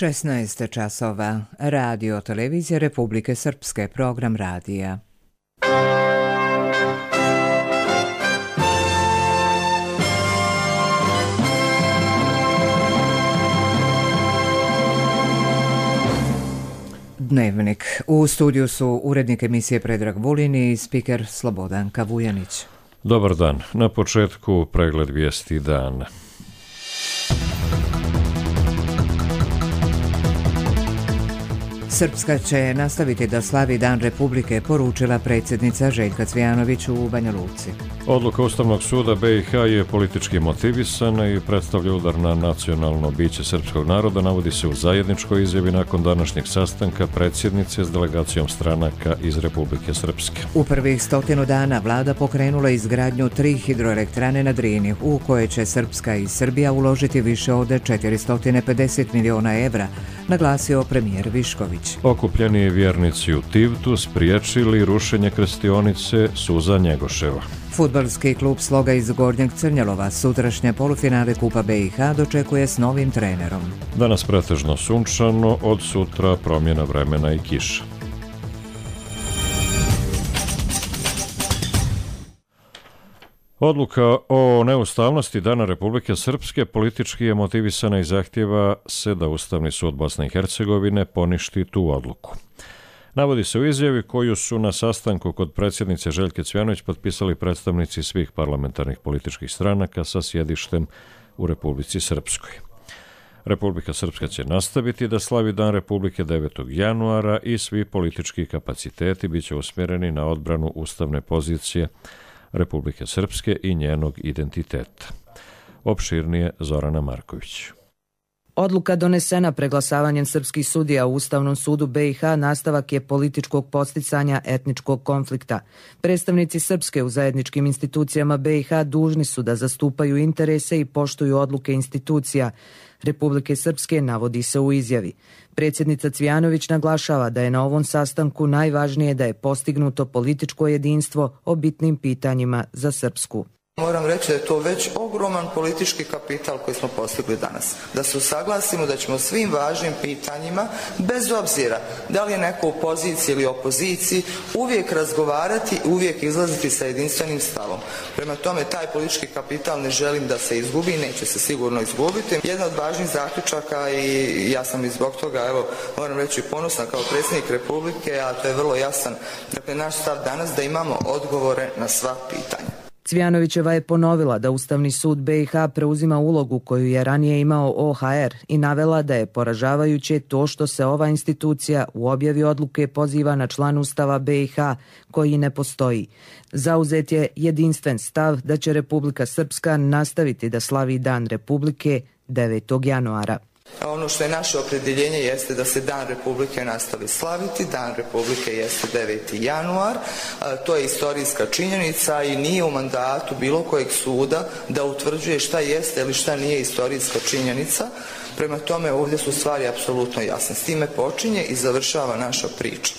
16 časova. Radio televizija Republike Srpske, program radija. Dnevnik. U studiju su urednik emisije Predrag Vulin i spiker Slobodanka Vujanić. Dobar dan. Na početku pregled vijesti dana. Srpska će nastaviti da slavi Dan Republike, poručila predsjednica Željka Cvijanović u Banja Luci. Odluka Ustavnog suda BiH je politički motivisana i predstavlja udar na nacionalno biće srpskog naroda, navodi se u zajedničkoj izjavi nakon današnjeg sastanka predsjednice s delegacijom stranaka iz Republike Srpske. U prvih 100 dana vlada pokrenula izgradnju 3 hidroelektrane na Drini, u koje će Srpska i Srbija uložiti više od 450 miliona evra, naglasio premijer Višković. Okupljeni vjernici u Tivtu spriječili rušenje krstionice Suza Njegoševa. Fudbalski klub Sloga iz Gornjeg Crnjalova sutrašnje polufinale Kupa BiH dočekuje s novim trenerom. Danas pretežno sunčano, od sutra promjena vremena i kiša. Odluka o neustavnosti Dana Republike Srpske politički je motivisana i zahtjeva se da Ustavni sud Bosne i Hercegovine poništi tu odluku. Navodi se u izjavi koju su na sastanku kod predsjednice Željke Cvijanović potpisali predstavnici svih parlamentarnih političkih stranaka sa sjedištem u Republici Srpskoj. Republika Srpska će nastaviti da slavi Dan Republike 9. januara i svi politički kapaciteti bit će usmjereni na odbranu ustavne pozicije Republike Srpske i njenog identiteta. Opširnije Zorana Marković. Odluka donesena preglasavanjem srpskih sudija u Ustavnom sudu BiH nastavak je političkog podsticanja etničkog konflikta. Predstavnici Srpske u zajedničkim institucijama BiH dužni su da zastupaju interese i poštuju odluke institucija Republike Srpske, navodi se u izjavi. Predsjednica Cvijanović naglašava da je na ovom sastanku najvažnije da je postignuto političko jedinstvo o bitnim pitanjima za Srpsku. Moram reći da je to već ogroman politički kapital koji smo postigli danas. Da se usaglasimo da ćemo svim važnim pitanjima, bez obzira da li je neko u poziciji ili opoziciji, uvijek razgovarati i uvijek izlaziti sa jedinstvenim stavom. Prema tome, taj politički kapital ne želim da se izgubi, neće se sigurno izgubiti. Jedna od važnih zaključaka, i ja sam i zbog toga, moram reći, ponosna kao predsjednik Republike, a to je vrlo jasan, dakle, naš stav danas da imamo odgovore na sva pitanja. Cvijanovićeva je ponovila da Ustavni sud BiH preuzima ulogu koju je ranije imao OHR i navela da je poražavajuće to što se ova institucija u objavi odluke poziva na član Ustava BiH koji ne postoji. Zauzet je jedinstven stav da će Republika Srpska nastaviti da slavi Dan Republike 9. januara. Ono što je naše opredjeljenje jeste da se Dan Republike nastavi slaviti. Dan Republike jeste 9. januar. To je istorijska činjenica i nije u mandatu bilo kojeg suda da utvrđuje šta jeste ili šta nije istorijska činjenica. Prema tome, ovdje su stvari apsolutno jasne. S time počinje i završava naša priča.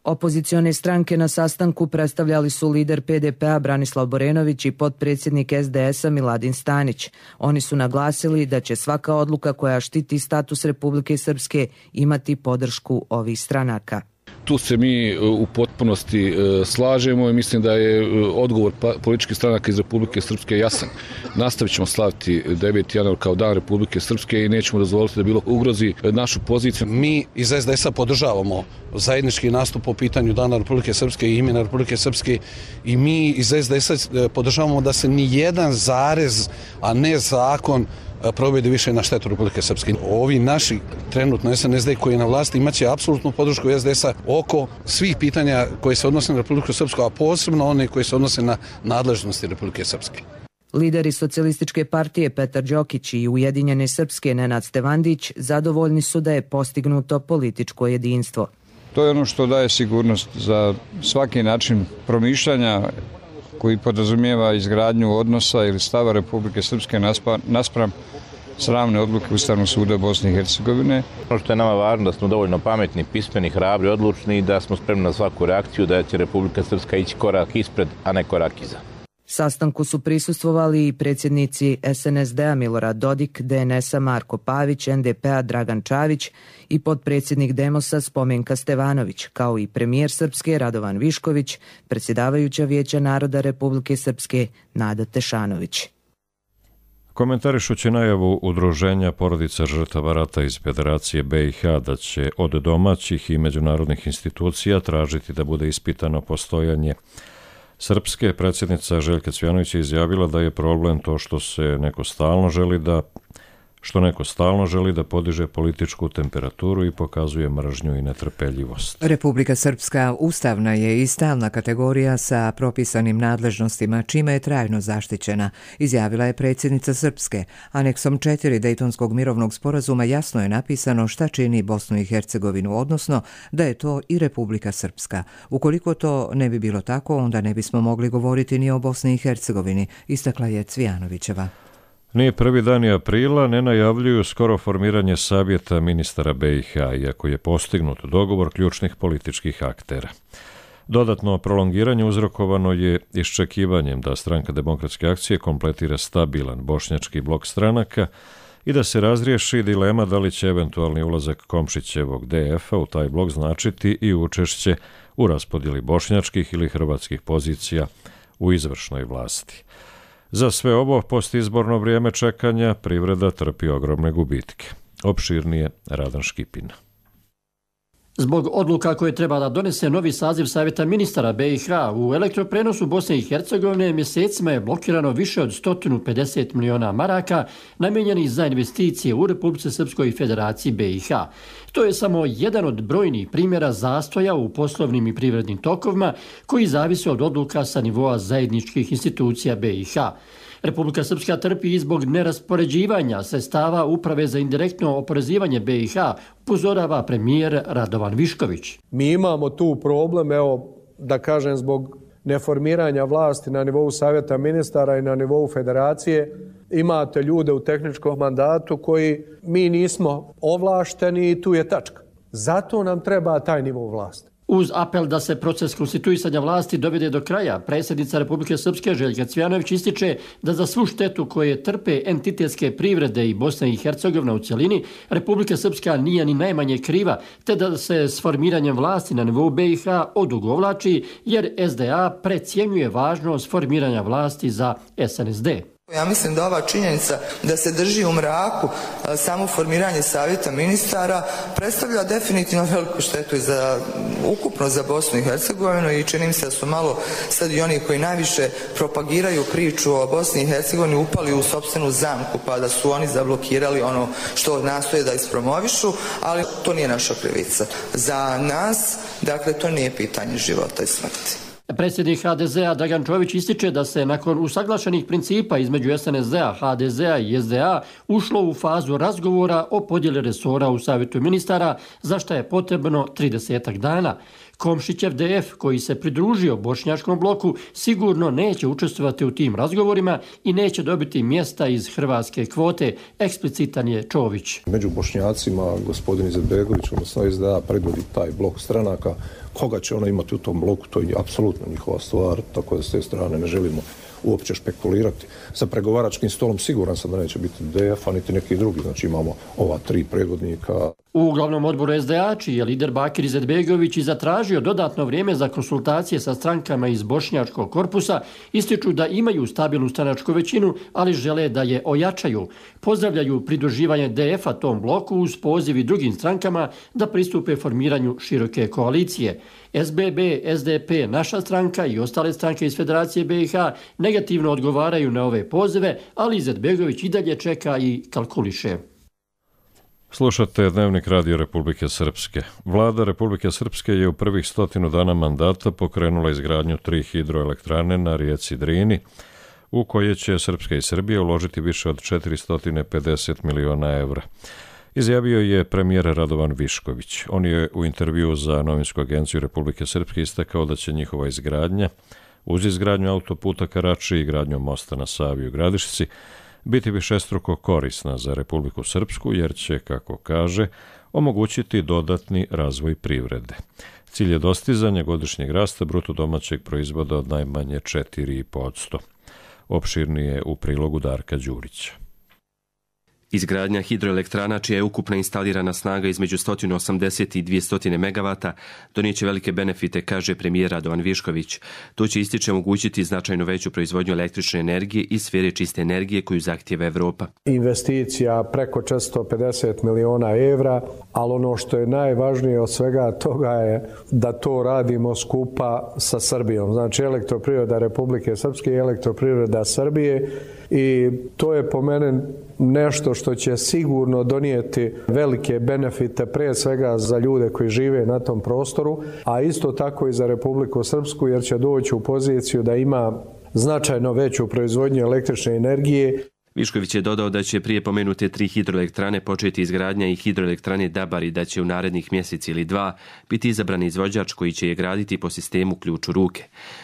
Opozicione stranke na sastanku predstavljali su lider PDP-a Branislav Borenović i potpredsjednik SDS-a Miladin Stanić. Oni su naglasili da će svaka odluka koja štiti status Republike Srpske imati podršku ovih stranaka. Tu se mi u potpunosti slažemo i mislim da je odgovor političkih stranaka iz Republike Srpske jasan. Nastavit ćemo slaviti 9. januar kao Dan Republike Srpske i nećemo dozvoliti da bilo ugrozi našu poziciju. Mi iz SDS-a podržavamo zajednički nastup po pitanju Dana Republike Srpske i imena Republike Srpske i mi iz SDS-a podržavamo da se ni jedan zarez, a ne zakon, provede više na štetu Republike Srpske. Ovi naši trenutno SNSD koji je na vlasti imaće apsolutnu podršku SDS-a oko svih pitanja koje se odnose na Republiku Srpsku, a posebno one koje se odnose na nadležnosti Republike Srpske. Lideri Socijalističke partije Petar Đokić i Ujedinjene Srpske Nenad Stevandić zadovoljni su da je postignuto političko jedinstvo. To je ono što daje sigurnost za svaki način promišljanja koji podrazumijeva izgradnju odnosa ili stava Republike Srpske naspram sramne odluke Ustavnog suda Bosne i Hercegovine. Ono što je nama važno da smo dovoljno pametni, pismeni, hrabri, odlučni i da smo spremni na svaku reakciju, da će Republika Srpska ići korak ispred, a ne korak iza. Sastanku su prisustvovali i predsjednici SNSD-a Milorad Dodik, DNS-a Marko Pavić, NDP-a Dragan Čavić i potpredsjednik Demosa Spomenka Stevanović, kao i premijer Srpske Radovan Višković, predsjedavajuća Vijeća naroda Republike Srpske Nada Tešanović. Komentarišući najavu Udruženja porodica žrtava rata iz Federacije BiH da će od domaćih i međunarodnih institucija tražiti da bude ispitano postojanje Srpske, predsjednica Željka Cvjanović je izjavila da je problem to što neko stalno želi da podiže političku temperaturu i pokazuje mržnju i netrpeljivost. Republika Srpska ustavna je i stalna kategorija sa propisanim nadležnostima, čime je trajno zaštićena, izjavila je predsjednica Srpske. Aneksom 4 Dejtonskog mirovnog sporazuma jasno je napisano šta čini Bosnu i Hercegovinu, odnosno da je to i Republika Srpska. Ukoliko to ne bi bilo tako, onda ne bismo mogli govoriti ni o Bosni i Hercegovini, istakla je Cvjanovićeva. Nije prvi dan aprila, ne najavljuju skoro formiranje savjeta ministara BiH, iako je postignut dogovor ključnih političkih aktera. Dodatno prolongiranje uzrokovano je iščekivanjem da Stranka demokratske akcije kompletira stabilan bošnjački blok stranaka i da se razriješi dilema da li će eventualni ulazak Komšićevog DF-a u taj blok značiti i učešće u raspodjeli bošnjačkih ili hrvatskih pozicija u izvršnoj vlasti. Za sve ovo postizborno vrijeme čekanja privreda trpi ogromne gubitke. Opširnije Radan Škipina. Zbog odluka koje treba da donese novi saziv Savjeta ministara BiH, u elektroprenosu Bosne i Hercegovine mjesecima je blokirano više od 150 miliona maraka namijenjenih za investicije u Republici Srpskoj i Federaciji BiH. To je samo jedan od brojnih primjera zastoja u poslovnim i privrednim tokovima koji zavise od odluka sa nivoa zajedničkih institucija BiH. Republika Srpska trpi i zbog neraspoređivanja sredstava Uprave za indirektno oporezivanje BiH, upozorava premijer Radovan Višković. Mi imamo tu problem, da kažem, zbog neformiranja vlasti na nivou Savjeta ministara i na nivou Federacije. Imate ljude u tehničkom mandatu koji mi nismo ovlašteni i tu je tačka. Zato nam treba taj nivou vlasti. Uz apel da se proces konstituisanja vlasti dovede do kraja, predsjednica Republike Srpske Željka Cvjanović ističe da za svu štetu koje trpe entitetske privrede i Bosna i Hercegovina u cjelini, Republika Srpska nije ni najmanje kriva, te da se s formiranjem vlasti na nivou BiH odugovlači, jer SDA precjenjuje važnost formiranja vlasti za SNSD. Ja mislim da ova činjenica da se drži u mraku samo formiranje savjeta ministara predstavlja definitivno veliku štetu ukupno za Bosnu i Hercegovinu i čini mi se da su malo sad i oni koji najviše propagiraju priču o Bosni i Hercegovini upali u sopstvenu zamku pa da su oni zablokirali ono što nastoje da ispromovišu, ali to nije naša krivica. Za nas, dakle, to nije pitanje života i smrti. Predsjednik HDZ-a Dragan Čović ističe da se nakon usaglašenih principa između SNSD-a, HDZ-a i SDA ušlo u fazu razgovora o podjeli resora u Savjetu ministara, za što je potrebno 30 dana. Komšićev DF, koji se pridružio bošnjačkom bloku, sigurno neće učestvovati u tim razgovorima i neće dobiti mjesta iz hrvatske kvote, eksplicitan je Čović. Među Bošnjacima gospodin Izetbegović, odnosno SDA, predvodi taj blok stranaka. Koga će ona imati u tom bloku, to je apsolutno njihova stvar, tako da s te strane ne želimo uopće špekulirati. Sa pregovaračkim stolom siguran sam da neće biti DF-a niti neki drugi, znači imamo ova 3 predvodnika. U glavnom odboru SDA, čiji je lider Bakir Izetbegović i zatražio dodatno vrijeme za konsultacije sa strankama iz bošnjačkog korpusa, ističu da imaju stabilnu stranačku većinu, ali žele da je ojačaju. Pozdravljaju pridruživanje DF-a tom bloku uz poziv i drugim strankama da pristupe formiranju široke koalicije. SBB, SDP, naša stranka i ostale stranke iz Federacije BiH negativno odgovaraju na ove pozive, ali Izetbegović i dalje čeka i kalkuliše. Slušate Dnevnik Radio Republike Srpske. Vlada Republike Srpske je u prvih 100 dana mandata pokrenula izgradnju 3 hidroelektrane na rijeci Drini, u koje će Srpska i Srbija uložiti više od 450 miliona evra. Izjavio je premijer Radovan Višković. On je u intervjuu za novinsku agenciju Republike Srpske istakao da će njihova izgradnja, uz izgradnju autoputa ka Rači i gradnju mosta na Savi u Gradišci, biti višestruko korisna za Republiku Srpsku jer će, kako kaže, omogućiti dodatni razvoj privrede. Cilj je dostizanje godišnjeg rasta bruto domaćeg proizvoda od najmanje 4,5%. Opširnije u prilogu Darka Đurića. Izgradnja hidroelektrana, čija je ukupna instalirana snaga između 180 i 200 megavata, donijeće velike benefite, kaže premijer Radovan Višković. To će, ističe, omogućiti značajno veću proizvodnju električne energije i sfere čiste energije koju zahtijeva Evropa. Investicija preko 450 miliona evra, ali ono što je najvažnije od svega toga je da to radimo skupa sa Srbijom. Znači Elektroprivreda Republike Srpske i Elektroprivreda Srbije, i to je po mene nešto što će sigurno donijeti velike benefite pre svega za ljude koji žive na tom prostoru, a isto tako i za Republiku Srpsku, jer će doći u poziciju da ima značajno veću proizvodnju električne energije. Višković je dodao da će prije pomenute 3 hidroelektrane početi izgradnja i hidroelektrane Dabar i da će u narednih mjesec ili 2 biti izabran izvođač koji će je graditi po sistemu ključ u ruke.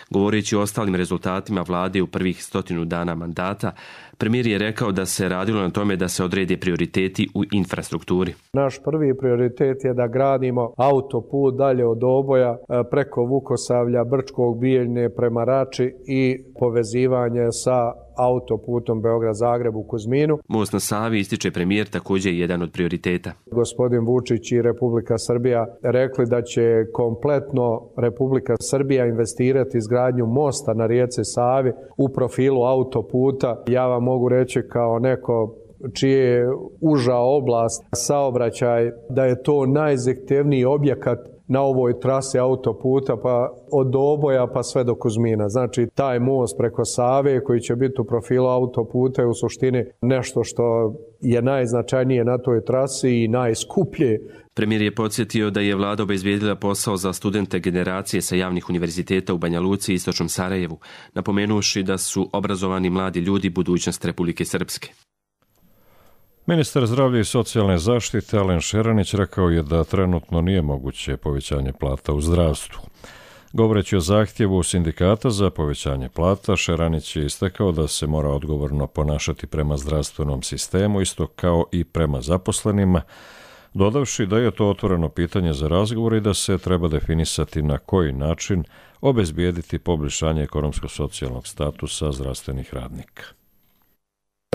Govoreći o ostalim rezultatima vlade u prvih 100 dana mandata, premijer je rekao da se radilo na tome da se odrede prioriteti u infrastrukturi. Naš prvi prioritet je da gradimo autoput dalje od Oboja preko Vukosavlja, Brčkog, Bijeljne prema Rači i povezivanje sa autoputom Beograd-Zagreb u Kuzminu. Most na Savi, ističe premijer, također je jedan od prioriteta. Gospodin Vučić i Republika Srbija rekli da će kompletno Republika Srbija investirati izgradnju mosta na rijeci Savi u profilu autoputa. Ja vam mogu reći kao neko čije je uža oblast saobraćaj da je to najzahtjevniji objekat na ovoj trasi autoputa, pa od Oboja pa sve do Kuzmina. Znači taj most preko Save koji će biti u profilu autoputa je u suštini nešto što je najznačajnije na toj trasi i najskuplje. Premijer je podsjetio da je vlada obezbijedila posao za studente generacije sa javnih univerziteta u Banja Luci i Istočnom Sarajevu, napomenuši da su obrazovani mladi ljudi budućnost Republike Srpske. Ministar zdravlja i socijalne zaštite Alen Šeranić rekao je da trenutno nije moguće povećanje plata u zdravstvu. Govoreći o zahtjevu sindikata za povećanje plata, Šeranić je istakao da se mora odgovorno ponašati prema zdravstvenom sistemu, isto kao i prema zaposlenima, dodavši da je to otvoreno pitanje za razgovor i da se treba definisati na koji način obezbijediti poboljšanje ekonomsko-socijalnog statusa zdravstvenih radnika.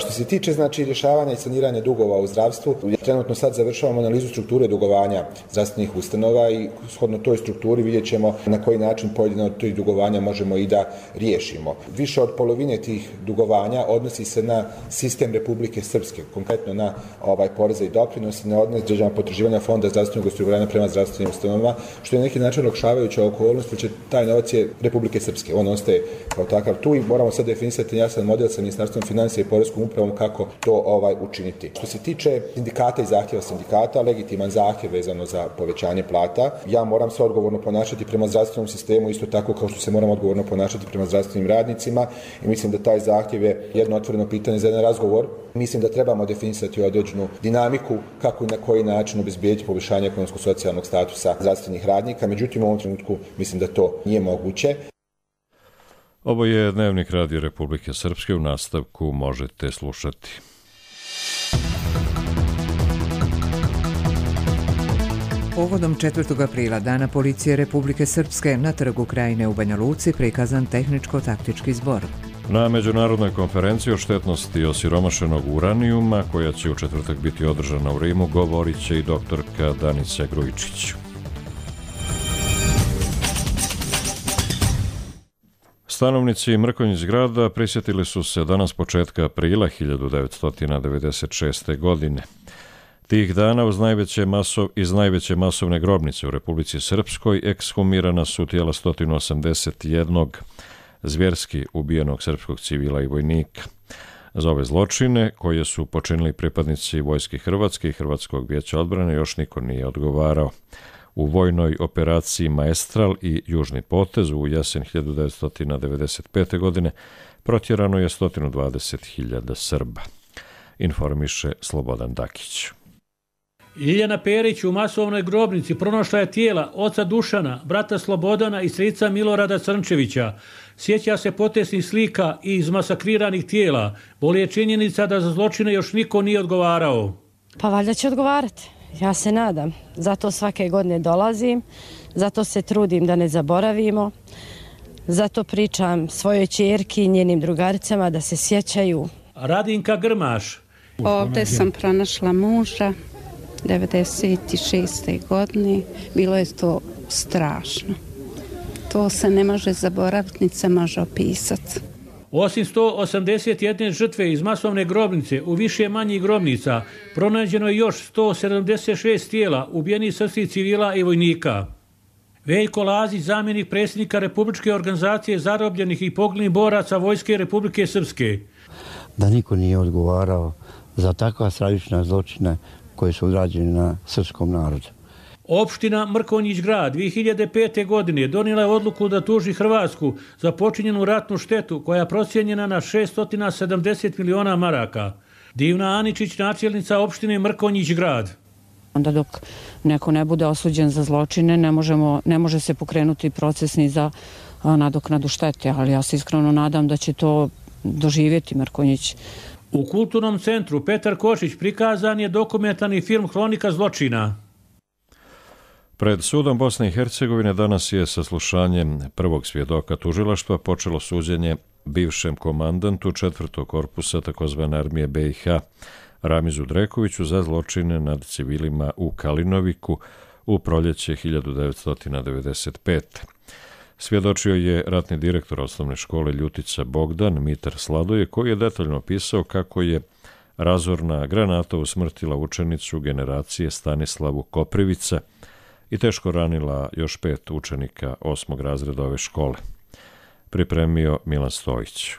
Što se tiče rješavanja i saniranja dugova u zdravstvu, trenutno sad završavamo analizu strukture dugovanja zdravstvenih ustanova i shodno toj strukturi vidjet ćemo na koji način pojedine od tih dugovanja možemo i da riješimo. Više od polovine tih dugovanja odnosi se na sistem Republike Srpske, konkretno na poreze i doprinosi, na određena potraživanja Fonda zdravstvenog osiguranja prema zdravstvenim ustanovama, što je na neki način olakšavajuća okolnost, jer taj novac je Republike Srpske, on ostaje kao takav tu i moramo sad definisati jasan model sa Ministarstvom financija i Poreskom upravom kako to učiniti. Što se tiče sindikata i zahtjeva sindikata, legitiman zahtjev vezano za povećanje plata, ja moram se odgovorno ponašati prema zdravstvenom sistemu, isto tako kao što se moram odgovorno ponašati prema zdravstvenim radnicima i mislim da taj zahtjev je jedno otvoreno pitanje za jedan razgovor. Mislim da trebamo definisati određenu dinamiku kako i na koji način obezbijediti poboljšanje ekonomsko-socijalnog statusa zdravstvenih radnika, međutim u ovom trenutku mislim da to nije moguće. Ovo je Dnevnik Radio Republike Srpske, u nastavku možete slušati. Povodom 4. aprila, Dana policije Republike Srpske, na Trgu Krajine u Banja Luci prikazan tehničko-taktički zbor. Na međunarodnoj konferenciji o štetnosti osiromašenog uranijuma, koja će u četvrtak biti održana u Rimu, govorit će i doktorka Danica Grujičić. Stanovnici Mrkonjić grada prisjetili su se danas početka aprila 1996. godine. Tih dana iz najveće masovne grobnice u Republici Srpskoj ekshumirana su tijela 181 zvjerski ubijenog srpskog civila i vojnika. Za ove zločine, koje su počinili pripadnici Vojske Hrvatske i Hrvatskog vijeća odbrane, još niko nije odgovarao. U vojnoj operaciji Maestral i Južni potez u jesen 1995. godine protjerano je 120.000 Srba. Informiše Slobodan Dakić. Ljiljana Perić u masovnoj grobnici pronašla je tijela oca Dušana, brata Slobodana i strica Milorada Crnčevića. Sjeća se potesnih slika i izmasakriranih tijela. Boli je činjenica da za zločine još niko nije odgovarao. Pa valjda će odgovarati. Ja se nadam. Zato svake godine dolazim, zato se trudim da ne zaboravimo, Zato pričam svojoj ćerki i njenim drugaricama da se sjećaju. Radinka Grmaš. Ovdje sam pronašla muža 96. godine. Bilo je to strašno. To se ne može zaboraviti, niti se može opisati. Osim 181 žrtve iz masovne grobnice u više manjih grobnica, pronađeno je još 176 tijela ubijenih srpskih civila i vojnika. Veljko Lazić, zamjenik predsjednika Republičke organizacije zarobljenih i poginulih boraca Vojske Republike Srpske. Da niko nije odgovarao za takva stravična zločina koji su urađeni na srpskom narodu. Opština Mrkonjić grad 2005. godine donijela je odluku da tuži Hrvatsku za počinjenu ratnu štetu koja je procijenjena na 670 miliona maraka. Divna Aničić, načelnica opštine Mrkonjić grad. Onda dok neko ne bude osuđen za zločine, ne može se pokrenuti proces ni za nadoknadu štete, ali ja se iskreno nadam da će to doživjeti Mrkonjić. U kulturnom centru Petar Košić prikazan je dokumentarni film Hronika zločina. Pred sudom Bosne i Hercegovine danas je saslušanjem prvog svjedoka tužilaštva počelo suđenje bivšem komandantu 4. korpusa tzv. Armije BiH Ramizu Drekoviću za zločine nad civilima u Kalinoviku u proljeće 1995. Svjedočio je ratni direktor osnovne škole Ljutica Bogdan Mitar Sladoje, koji je detaljno opisao kako je razorna granata usmrtila učenicu generacije Stanislavu Koprivica i teško ranila još 5 učenika 8. razreda ove škole. Pripremio Milan Stojić.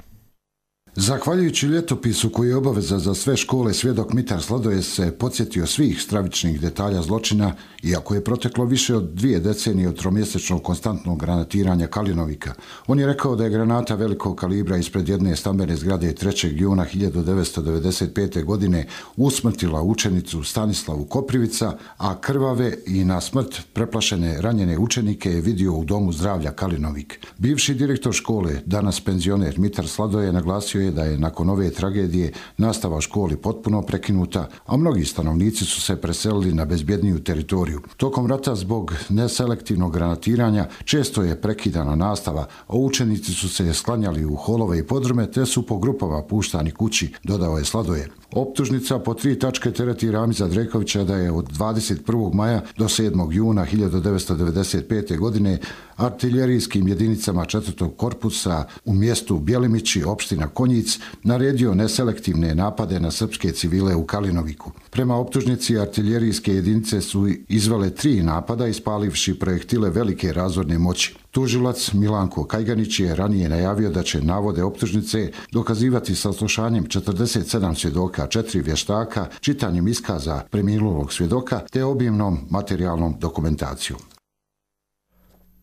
Zahvaljujući ljetopisu koji je obaveza za sve škole, svjedok Mitar Sladoje se podsjetio svih stravičnih detalja zločina, iako je proteklo više od 2 decenije od tromjesečnog konstantnog granatiranja Kalinovika. On je rekao da je granata velikog kalibra ispred jedne stambene zgrade 3. juna 1995. godine usmrtila učenicu Stanislavu Koprivica, a krvave i na smrt preplašene ranjene učenike je vidio u Domu zdravlja Kalinovik. Bivši direktor škole, danas penzioner Mitar Sladoje, naglasio je da je nakon ove tragedije nastava u školi potpuno prekinuta, a mnogi stanovnici su se preselili na bezbjedniju teritoriju. Tokom rata zbog neselektivnog granatiranja često je prekidana nastava, a učenici su se sklanjali u holove i podrume te su po grupama puštani kući, dodao je Sladoje. Optužnica po 3 tačke tereti Ramiza Drekovića da je od 21. maja do 7. juna 1995. godine artiljerijskim jedinicama 4. korpusa u mjestu Bjelimići, opština Konjic, naredio neselektivne napade na srpske civile u Kalinoviku. Prema optužnici, artiljerijske jedinice su izvele 3 napada ispalivši projektile velike razorne moći. Tužilac Milanko Kajganić je ranije najavio da će navode optužnice dokazivati saslušanjem 47 svjedoka, 4 vještaka, čitanjem iskaza preminulog svjedoka te obimnom materijalnom dokumentacijom.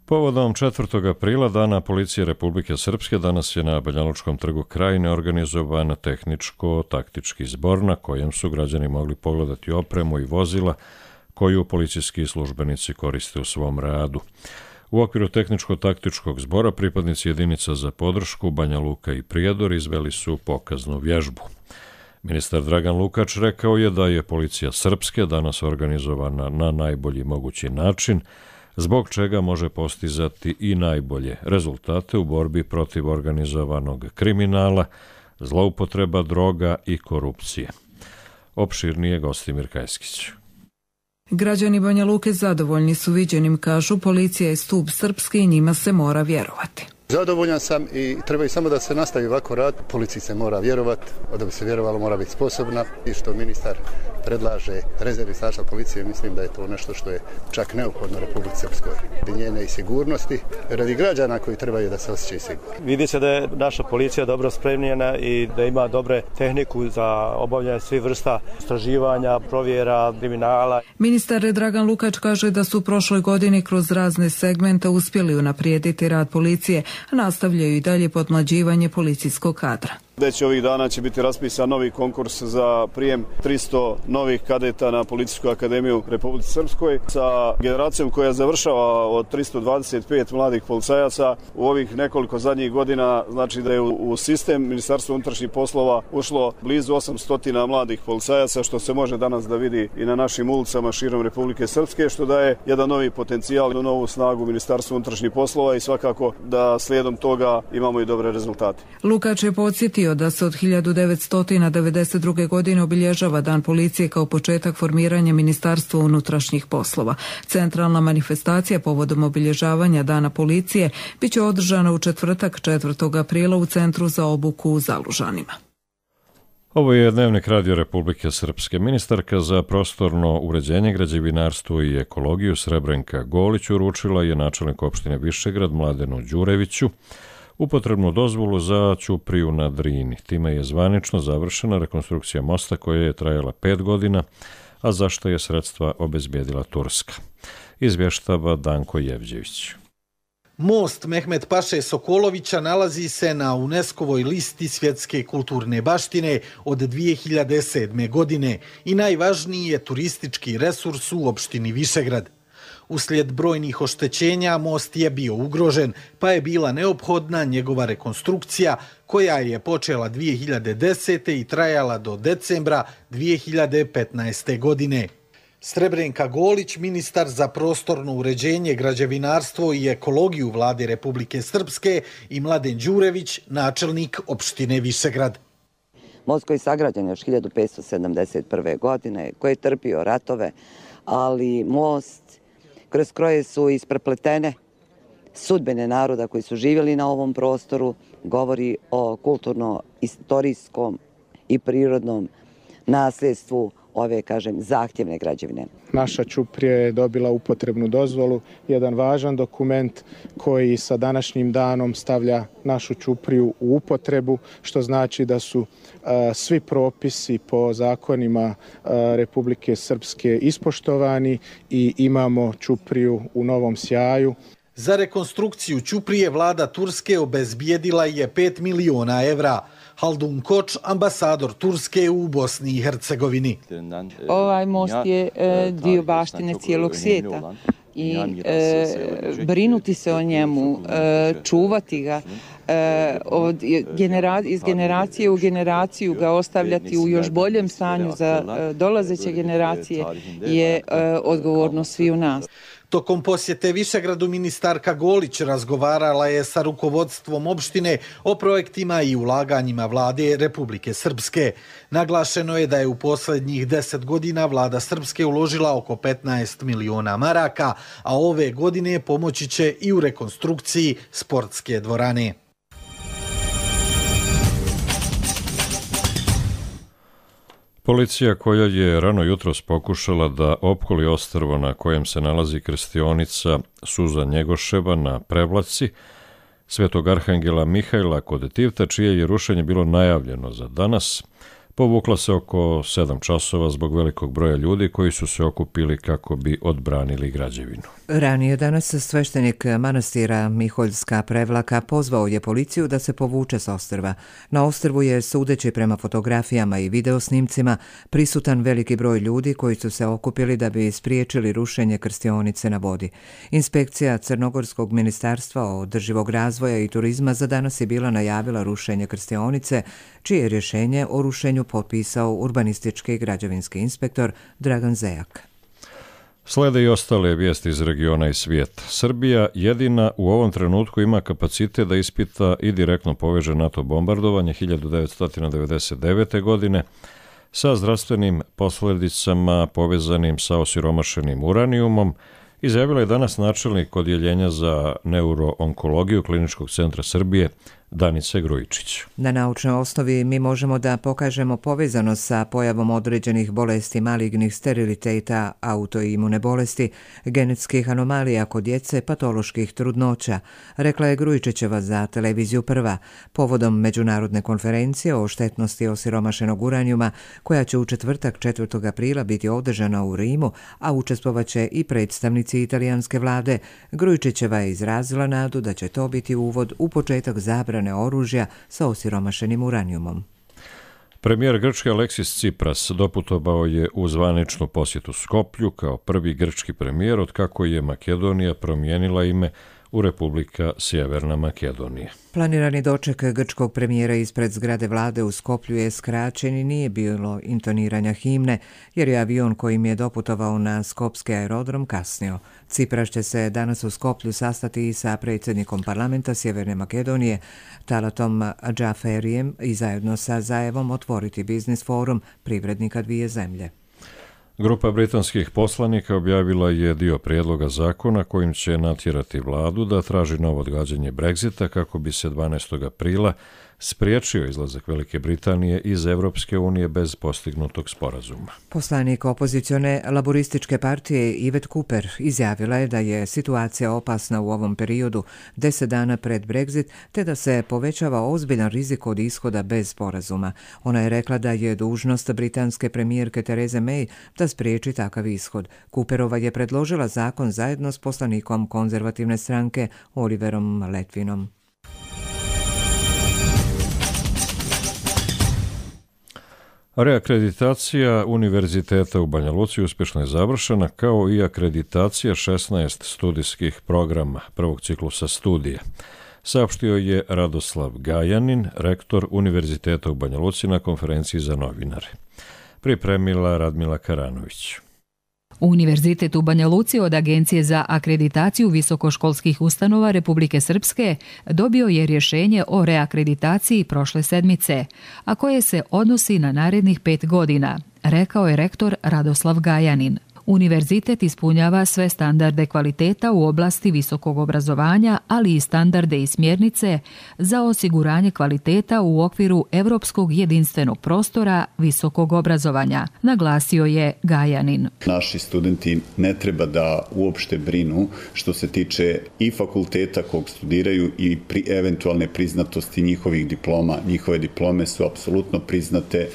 Povodom 4. aprila, Dana policije Republike Srpske, danas je na Banjalučkom trgu Krajine organizovan tehničko-taktički zbor na kojem su građani mogli pogledati opremu i vozila koju policijski službenici koriste u svom radu. U okviru tehničko-taktičkog zbora pripadnici jedinica za podršku Banja Luka i Prijedor izveli su pokaznu vježbu. Ministar Dragan Lukač rekao je da je policija Srpske danas organizovana na najbolji mogući način, zbog čega može postizati i najbolje rezultate u borbi protiv organizovanog kriminala, zloupotreba droga i korupcije. Opširnije Gostimir Kajskić. Građani Banja Luke zadovoljni su viđenim, kažu, policija je stup srpski i njima se mora vjerovati. Zadovoljan sam i treba samo da se nastavi ovako rad. Policiji se mora vjerovati, da bi se vjerovalo mora biti sposobna i što ministar predlaže rezervi sastav policije, mislim da je to nešto što je čak neophodno Republici Srpskoj. Njene i sigurnosti, radi građana koji trebaju da se osjećaju sigurno. Vidi se da je naša policija dobro spremljena i da ima dobre tehniku za obavljanje svih vrsta istraživanja, provjera, kriminala. Ministar Dragan Lukač kaže da su u prošloj godini kroz razne segmente uspjeli unaprijediti rad policije, a nastavljaju i dalje podmlađivanje policijskog kadra. Već ovih dana će biti raspisan novi konkurs za prijem 300 novih kadeta na Policijsku akademiju Republike Srpskoj sa generacijom koja završava od 325 mladih policajaca. U ovih nekoliko zadnjih godina znači da je u sistem Ministarstva unutrašnjih poslova ušlo blizu 800 mladih policajaca, što se može danas da vidi i na našim ulicama širom Republike Srpske, što daje jedan novi potencijal i novu snagu Ministarstva unutrašnjih poslova i svakako da slijedom toga imamo i dobre rezultate. Lukač je podsjetio da se od 1992. godine obilježava Dan policije kao početak formiranja Ministarstva unutrašnjih poslova. Centralna manifestacija povodom obilježavanja Dana policije biće održana u četvrtak 4. aprila u Centru za obuku u Zalužanima. Ovo je Dnevnik Radio Republike Srpske. Ministarka za prostorno uređenje, građevinarstvo i ekologiju Srebrenka Golić uručila je načelnik opštine Višegrad Mladenu Đureviću upotrebnu dozvolu za ćupriju na Drini. Time je zvanično završena rekonstrukcija mosta koja je trajala 5 godina, a za što je sredstva obezbijedila Turska. Izvještava Danko Jevđević. Most Mehmet Paše Sokolovića nalazi se na UNESCO-voj listi svjetske kulturne baštine od 2007. godine i najvažniji je turistički resurs u opštini Višegrad. Uslijed brojnih oštećenja most je bio ugrožen, pa je bila neophodna njegova rekonstrukcija koja je počela 2010. i trajala do decembra 2015. godine. Srebrenka Golić, ministar za prostorno uređenje, građevinarstvo i ekologiju Vlade Republike Srpske, i Mladen Đurević, načelnik opštine Višegrad. Most koji je sagrađen još 1571. godine, koji je trpio ratove, ali most kroz koje su isprepletene sudbine naroda koji su živjeli na ovom prostoru, govori o kulturno-istorijskom i prirodnom nasljedstvu ove, zahtjevne građevine. Naša ćuprija je dobila upotrebnu dozvolu, jedan važan dokument koji sa današnjim danom stavlja našu ćupriju u upotrebu, što znači da su svi propisi po zakonima Republike Srpske ispoštovani i imamo ćupriju u novom sjaju. Za rekonstrukciju ćuprije vlada Turske obezbijedila je 5 miliona evra. Haldun Koč, ambasador Turske u Bosni i Hercegovini. Ovaj most je dio baštine cijelog svijeta i brinuti se o njemu, čuvati ga, iz generacije u generaciju ga ostavljati u još boljem stanju za dolazeće generacije je odgovornost sviju nas. Tokom posjete Višegradu ministarka Golić razgovarala je sa rukovodstvom opštine o projektima i ulaganjima Vlade Republike Srpske. Naglašeno je da je u posljednjih 10 godina Vlada Srpske uložila oko 15 miliona maraka, a ove godine pomoći će i u rekonstrukciji sportske dvorane. Policija koja je rano jutros pokušala da opkoli ostrvo na kojem se nalazi krstionica Suza Njegoševa na Prevlaci Svetog Arhangela Mihajla kod Tivta, čije je rušenje bilo najavljeno za danas, povukla se oko 7 časova zbog velikog broja ljudi koji su se okupili kako bi odbranili građevinu. Ranije danas sveštenik manastira Miholjska Prevlaka pozvao je policiju da se povuče s ostrva. Na ostrvu je, sudeći prema fotografijama i videosnimcima, prisutan veliki broj ljudi koji su se okupili da bi spriječili rušenje krstionice na vodi. Inspekcija Crnogorskog ministarstva održivog razvoja i turizma za danas je bila najavila rušenje krstionice, čije je rješenje o rušenju potpisao urbanistički i građevinski inspektor Dragan Zejak. Slede i ostale vijesti iz regiona i svijeta. Srbija jedina u ovom trenutku ima kapacitet da ispita i direktno poveže NATO bombardovanje 1999. godine sa zdravstvenim posljedicama povezanim sa osiromašenim uranijumom, izjavila je danas načelnik odjeljenja za neuroonkologiju Kliničkog centra Srbije Danice Grujičić. Na naučnoj osnovi mi možemo da pokažemo povezanost sa pojavom određenih bolesti malignih steriliteta, autoimune bolesti, genetskih anomalija kod djece, patoloških trudnoća, rekla je Grujičićeva za televiziju Prva, povodom međunarodne konferencije o štetnosti osiromašenog uranijuma, koja će u četvrtak 4. aprila biti održana u Rimu, a učestvovaće i predstavnici italijanske vlade. Grujičićeva je izrazila nadu da će to biti uvod u početak zabrane zabrane oružja sa osiromašenim uranijumom. Premijer Grčke Aleksis Tsipras doputovao je u zvaničnu posjetu Skoplju kao prvi grčki premijer otkako je Makedonija promijenila ime u Republika Sjeverna Makedonija. Planirani doček grčkog premijera ispred zgrade vlade u Skoplju je skraćen i nije bilo intoniranja himne, jer je avion kojim je doputovao na skopski aerodrom kasnio. Tsipras će se danas u Skoplju sastati i sa predsjednikom parlamenta Sjeverne Makedonije, Talatom Džaferijem, i zajedno sa Zaevom otvoriti biznis forum privrednika dvije zemlje. Grupa britanskih poslanika objavila je dio prijedloga zakona kojim će natjerati vladu da traži novo odgađanje Brexita kako bi se 12. aprila spriječio izlazak Velike Britanije iz Evropske unije bez postignutog sporazuma. Poslanik opozicione laborističke partije Yvette Cooper izjavila je da je situacija opasna u ovom periodu 10 dana pred Brexit, te da se povećava ozbiljan rizik od ishoda bez sporazuma. Ona je rekla da je dužnost britanske premijerke Therese May da spriječi takav ishod. Cooperova je predložila zakon zajedno s poslanikom konzervativne stranke Oliverom Letvinom. Reakreditacija Univerziteta u Banja Luci uspješno je završena, kao i akreditacija 16 studijskih programa prvog ciklusa studija, saopštio je Radoslav Gajanin, rektor Univerziteta u Banja Luci na konferenciji za novinare. Pripremila Radmila Karanović. Univerzitet u Banja Luci od Agencije za akreditaciju visokoškolskih ustanova Republike Srpske dobio je rješenje o reakreditaciji prošle sedmice, a koje se odnosi na narednih 5 godina, rekao je rektor Radoslav Gajanin. Univerzitet ispunjava sve standarde kvaliteta u oblasti visokog obrazovanja, ali i standarde i smjernice za osiguranje kvaliteta u okviru Europskog jedinstvenog prostora visokog obrazovanja, naglasio je Gajanin. Naši studenti ne treba da uopšte brinu što se tiče i fakulteta kog studiraju i eventualne priznatosti njihovih diploma. Njihove diplome su apsolutno priznate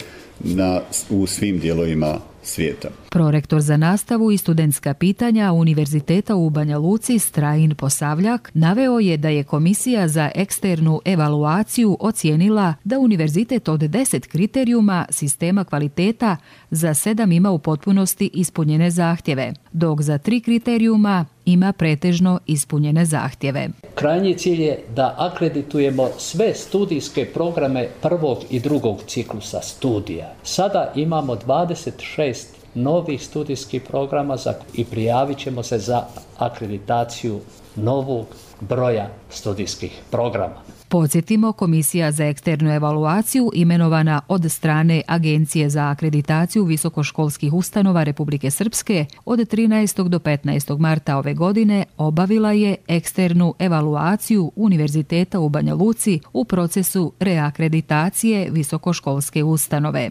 u svim dijelovima svijeta. Prorektor za nastavu i studentska pitanja Univerziteta u Banja Luci Strajin Posavljak naveo je da je Komisija za eksternu evaluaciju ocijenila da univerzitet od 10 kriterijuma sistema kvaliteta za 7 ima u potpunosti ispunjene zahtjeve, dok za 3 kriterijuma ima pretežno ispunjene zahtjeve. Krajnji cilj je da akreditujemo sve studijske programe prvog i drugog ciklusa studija. Sada imamo 26 novih studijskih programa i prijavit ćemo se za akreditaciju novog broja studijskih programa. Podsjetimo, Komisija za eksternu evaluaciju imenovana od strane Agencije za akreditaciju visokoškolskih ustanova Republike Srpske od 13. do 15. marta ove godine obavila je eksternu evaluaciju Univerziteta u Banja Luci u procesu reakreditacije visokoškolske ustanove.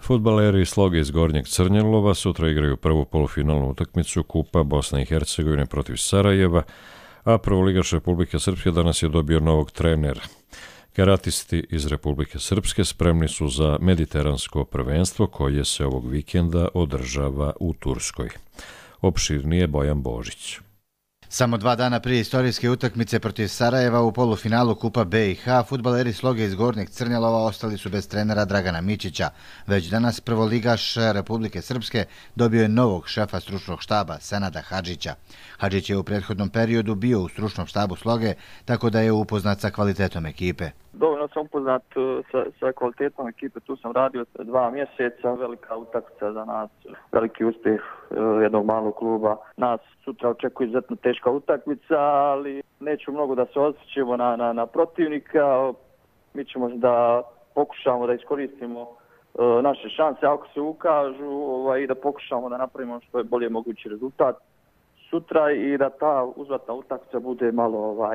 Fudbaleri Sloge iz Gornjeg Crnjelova sutra igraju prvu polufinalnu utakmicu Kupa Bosne i Hercegovine protiv Sarajeva, a prvoligaš Republike Srpske danas je dobio novog trenera. Karatisti iz Republike Srpske spremni su za mediteransko prvenstvo koje se ovog vikenda održava u Turskoj. Opširnije Bojan Božić. Samo 2 dana prije istorijske utakmice protiv Sarajeva u polufinalu Kupa BiH, fudbaleri Sloge iz Gornjeg Crnjelova ostali su bez trenera Dragana Mićića. Već danas prvoligaš Republike Srpske dobio je novog šefa stručnog štaba Senada Hadžića. Hadžić je u prethodnom periodu bio u stručnom štabu Sloge, tako da je upoznat sa kvalitetom ekipe. Dovoljno sam upoznat sa kvalitetom ekipe, tu sam radio 2 mjeseca, velika utakmica za nas, veliki uspjeh jednog malog kluba. Nas sutra očekuje izuzetno teška utakmica, ali neću mnogo da se osjećamo na protivnika. Mi ćemo da pokušamo da iskoristimo naše šanse ako se ukažu i da pokušamo da napravimo što je bolje mogući rezultat sutra i da ta uzvratna utakmica bude malo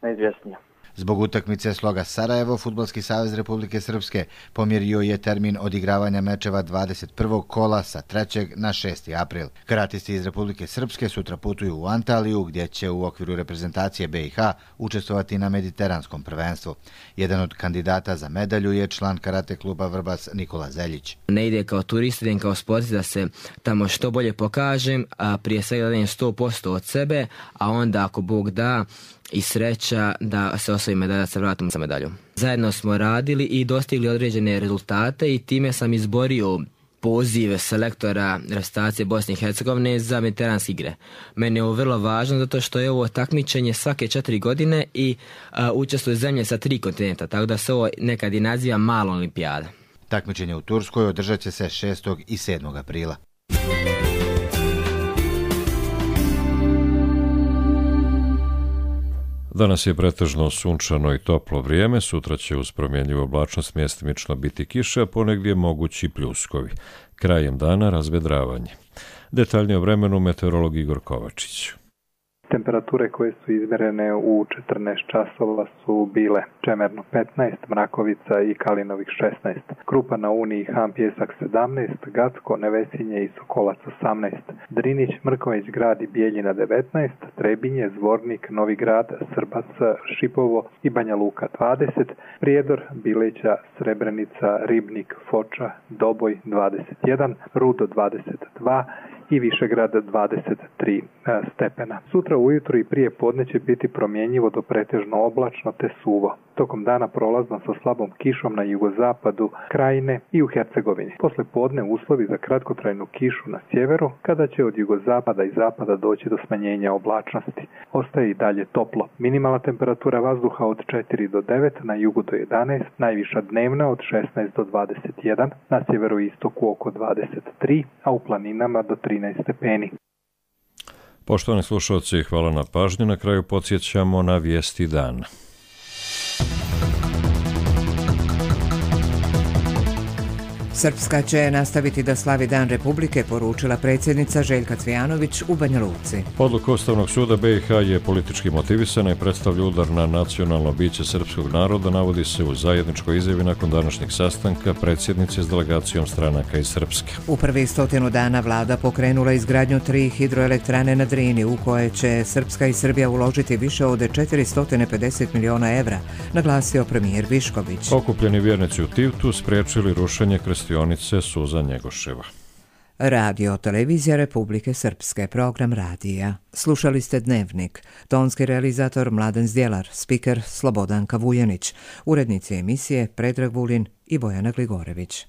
neizvjesnija. Zbog utakmice Sloga Sarajevo, Fudbalski savez Republike Srpske pomjerio je termin odigravanja mečeva 21. kola sa 3. na 6. april. Karatisti iz Republike Srpske sutra putuju u Antaliju, gdje će u okviru reprezentacije BiH učestvovati na mediteranskom prvenstvu. Jedan od kandidata za medalju je član karate kluba Vrbas Nikola Zeljić. Ne ide kao turist, idem kao sportist da se tamo što bolje pokažem, a prije svega dajem 100% od sebe, a onda ako Bog da i sreća da se osvoji medalja, da se vratimo sa medaljom. Zajedno smo radili i dostigli određene rezultate i time sam izborio poziv selektora reprezentacije Bosne i Hercegovine za mediteranske igre. Meni je ovo vrlo važno zato što je ovo takmičenje svake 4 godine i učestvuju zemlje sa 3 kontinenta, tako da se ovo nekad i naziva mala olimpijada. Takmičenje u Turskoj održat će se 6. i 7. aprila. Danas je pretežno sunčano i toplo vrijeme, sutra će uz promjenjivu oblačnost mjestimično biti kiša, a ponegdje mogući pljuskovi. Krajem dana razvedravanje. Detaljnije o vremenu meteorolog Igor Kovačić. Temperature koje su izmjerene u 14 časova su bile Čemerno 15, Mrakovica i Kalinovih 16, Krupa na Uni i Han Pjesak 17, Gacko, Nevesinje i Sokolac 18, Drinić, Mrković grad i Bijeljina 19, Trebinje, Zvornik, Novi grad, Srbac, Šipovo i Banja Luka 20, Prijedor, Bileća, Srebrenica, Ribnik, Foča, Doboj 21, Rudo 22 i Višegrad 23 stepena. Sutra ujutro i prije podne će biti promjenjivo do pretežno oblačno te suvo. Tokom dana prolazno sa slabom kišom na jugozapadu Krajine i u Hercegovini. Posle podne uslovi za kratkotrajnu kišu na sjeveru, kada će od jugozapada i zapada doći do smanjenja oblačnosti. Ostaje i dalje toplo. Minimalna temperatura vazduha od 4 do 9, na jugu do 11, najviša dnevna od 16 do 21, na sjeveru i istoku oko 23, a u planinama do 13 stepeni. Poštovani slušalci, hvala na pažnju. Na kraju podsjećamo na vijesti dana. Srpska će nastaviti da slavi Dan Republike, poručila predsjednica Željka Cvijanović u Banja Luci. Odluka Ustavnog suda BiH je politički motivisana i predstavlja udar na nacionalno biće srpskog naroda, navodi se u zajedničkoj izjavi nakon današnjeg sastanka predsjednice s delegacijom stranaka iz Srpske. U prvih 100 dana vlada pokrenula izgradnju 3 hidroelektrane na Drini, u koje će Srpska i Srbija uložiti više od 450 miliona evra, naglasio premijer Višković. Okupljeni vjernici u Tivtu spriječili rušenje krstionice Suza Njegoševa. Radio Televizija Republike Srpske, program radija. Slušali ste Dnevnik. Tonski realizator Mladen Zdjelar, spiker Slobodanka Vujanić, urednici emisije Predrag Vulin i Bojana Gligorević.